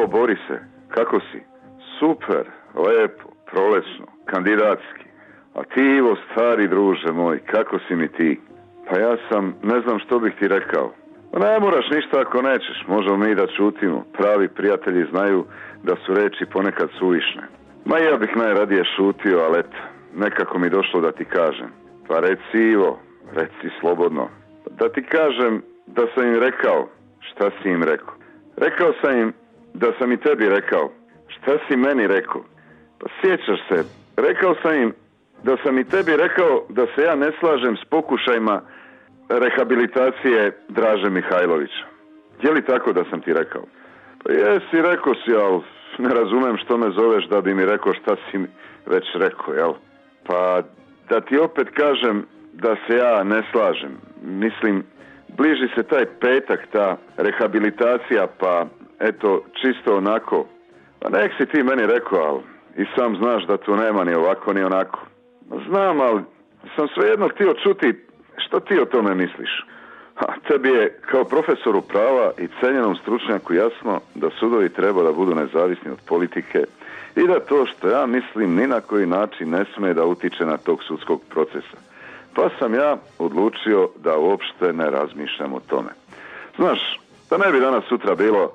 Zdravo Borise, kako si? Super, lepo, prolesno, kandidatski. A ti Ivo, stari druže moj, kako si mi ti? Pa ja sam, ne znam što bih ti rekao. Ne moraš ništa ako nećeš, možemo mi da čutimo. Pravi prijatelji znaju da su reči ponekad suvišne. Ma ja bih najradije šutio, ali eto, nekako mi došlo da ti kažem. Pa reci Ivo, reci slobodno. Da ti kažem da sam im rekao. Šta si im rekao? Rekao sam im da sam i tebi rekao. Šta si meni rekao? Pa sjećaš se, rekao sam im da sam i tebi rekao da se ja ne slažem s pokušajima rehabilitacije Draže Mihajlovića. Je li tako da sam ti rekao? Pa jesi, rekao si, ali ne razumem što me zoveš da bi mi rekao šta si mi već rekao, jel? Pa da ti opet kažem da se ja ne slažem. Mislim, bliži se taj petak, ta rehabilitacija, pa eto, čisto onako. Pa nek si ti meni rekao, ali i sam znaš da tu nema ni ovako ni onako. Znam, ali sam svejedno htio čuti što ti o tome misliš. Tebi je kao profesoru prava i cenjenom stručnjaku jasno da sudovi treba da budu nezavisni od politike i da to što ja mislim ni na koji način ne sme da utiče na tog sudskog procesa. Pa sam ja odlučio da uopšte ne razmišljam o tome. Znaš, da ne bi danas sutra bilo,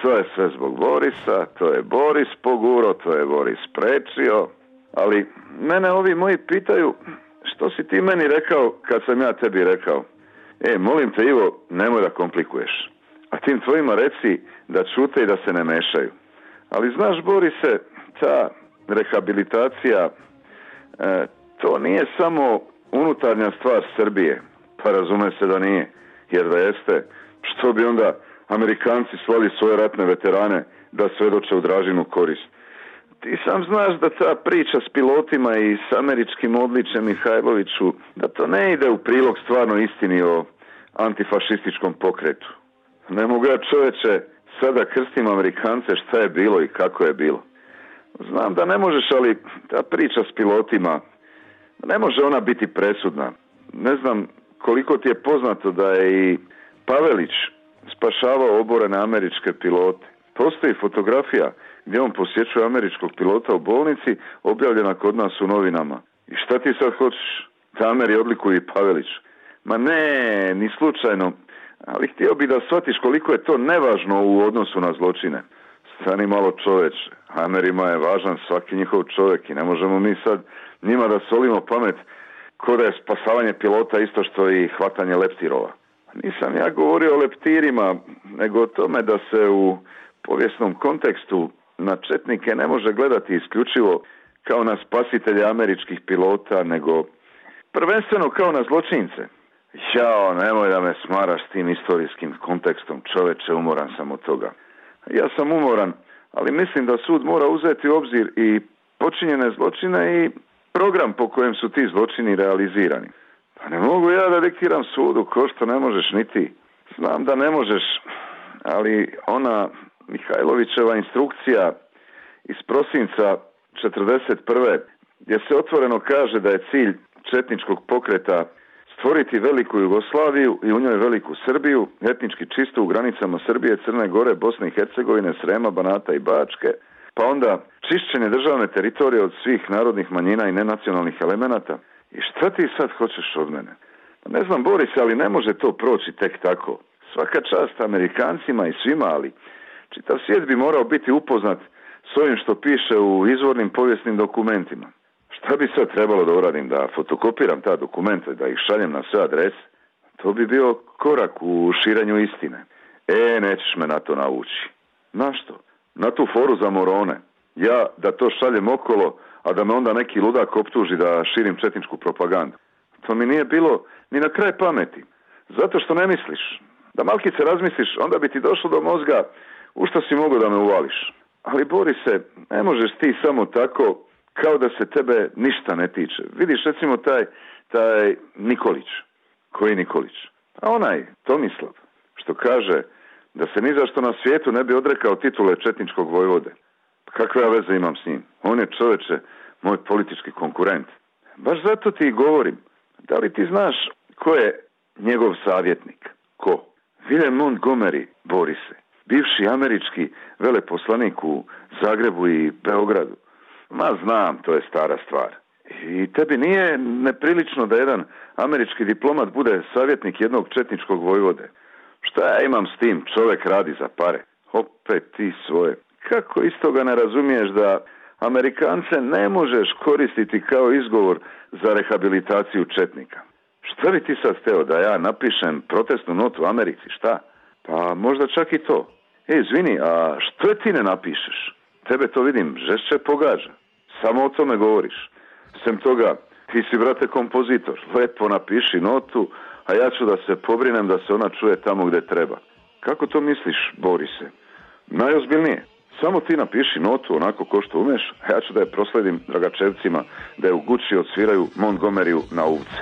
to je sve zbog Borisa, to je Boris poguro, to je Boris prečio, ali mene ovi moji pitaju što si ti meni rekao kad sam ja tebi rekao. Molim te Ivo, nemoj da komplikuješ. A tim tvojima reci da čute i da se ne mešaju. Ali znaš, Borise, ta rehabilitacija, to nije samo unutarnja stvar Srbije. Pa razume se da nije. Jer da jeste, što bi onda Amerikanci slali svoje ratne veterane da svedoče u Dražinu korist. Ti sam znaš da ta priča s pilotima i s američkim odličjem Mihajloviću, da to ne ide u prilog stvarno istini o antifašističkom pokretu. Ne mogu ja, čoveče, sada krstim Amerikance šta je bilo i kako je bilo. Znam da ne možeš, ali ta priča s pilotima, ne može ona biti presudna. Ne znam koliko ti je poznato da je i Pavelić spašavao oborene američke pilote. Postoji fotografija gdje on posjećuje američkog pilota u bolnici, objavljena kod nas u novinama. I šta ti sad hoćeš? Da Ameri odlikuju i Pavelić. Ma ne, ni slučajno. Ali htio bi da shvatiš koliko je to nevažno u odnosu na zločine. Stani malo, čoveče. Amerima je važan svaki njihov čovjek i ne možemo mi sad njima da solimo pamet ko da je spasavanje pilota isto što i hvatanje leptirova. Nisam ja govorio o leptirima, nego o tome da se u povijesnom kontekstu na četnike ne može gledati isključivo kao na spasitelje američkih pilota, nego prvenstveno kao na zločince. Jao, nemoj da me smaraš s tim istorijskim kontekstom, čoveče, umoran sam od toga. Ja sam umoran, ali mislim da sud mora uzeti u obzir i počinjene zločine i program po kojem su ti zločini realizirani. Pa ne mogu ja da diktiram sudu ko što ne možeš ni ti. Znam da ne možeš, ali ona Mihajlovićeva instrukcija iz prosinca 1941. gdje se otvoreno kaže da je cilj četničkog pokreta stvoriti veliku Jugoslaviju i u njoj veliku Srbiju, etnički čisto u granicama Srbije, Crne Gore, Bosne i Hercegovine, Srema, Banata i Bačke, pa onda čišćenje državne teritorije od svih narodnih manjina i nenacionalnih elemenata. I šta ti sad hoćeš od mene? Ne znam, Boris, ali ne može to proći tek tako. Svaka čast Amerikancima i svima, ali čitav svijet bi morao biti upoznat s ovim što piše u izvornim povijesnim dokumentima. Šta bi sad trebalo da uradim? Da fotokopiram ta dokumenta, da ih šaljem na sve adrese? To bi bio korak u širenju istine. Nećeš me na to navući. Na što? Na tu foru za morone. Ja da to šaljem okolo, a da me onda neki ludak optuži da širim četničku propagandu. To mi nije bilo ni na kraj pameti. Zato što ne misliš. Da malkice razmisliš, onda bi ti došlo do mozga u što si mogao da me uvališ. Ali Borise, ne možeš ti samo tako kao da se tebe ništa ne tiče. Vidiš recimo taj Nikolić. Koji Nikolić? A onaj Tomislav, što kaže da se ni zašto na svijetu ne bi odrekao titule četničkog vojvode. Kakve ja veze imam s njim? On je, čoveče, moj politički konkurent. Baš zato ti govorim. Da li ti znaš ko je njegov savjetnik? Ko? William Montgomery, Borise. bivši američki veleposlanik u Zagrebu i Beogradu. Ma znam, to je stara stvar. I tebi nije neprilično da jedan američki diplomat bude savjetnik jednog četničkog vojvode? Šta ja imam s tim? Čovjek radi za pare. Opet ti svoje. Kako istoga ne razumiješ da Amerikance ne možeš koristiti kao izgovor za rehabilitaciju četnika? Šta bi ti sad hteo, da ja napišem protestnu notu u Americi, šta? Pa možda čak i to. Izvini, a što ti ne napišeš? Tebe to vidim, žešće pogađa. Samo o tome govoriš. Sem toga, ti si, brate, kompozitor. Lepo napiši notu, a ja ću da se pobrinem da se ona čuje tamo gde treba. Kako to misliš, Borise? Najozbiljnije. Samo ti napiši notu onako ko što umeš, a ja ću da je prosledim Dragačevcima da je u Guči odsviraju Montgomeryu na uvce.